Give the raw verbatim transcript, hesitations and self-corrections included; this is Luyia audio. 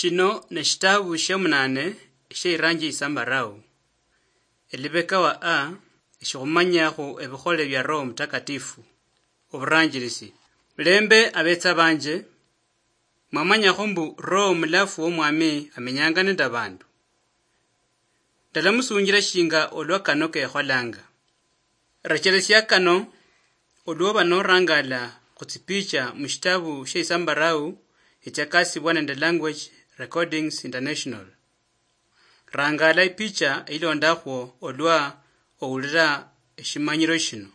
Shino neshitabu shiomunane sheiranji isambarau. Elibeka wa a, eshikhumanyakhu ebikhole bia Roho Mutakatifu. Oburanjirisi. Mulembe abetsa banje, mwamanyakho mbu Roho Mulafu womwami amenyanga nende abandu. Ndalamusunjira shinga olwa kano kekholanga. Rechelesia kano, olwoba norangala khutsipicha mushitabu sheisambarau echakasibwa nende Language Recordings International. Rangala ipicha ilondakhwo olwa owulira eshimanyiro shino.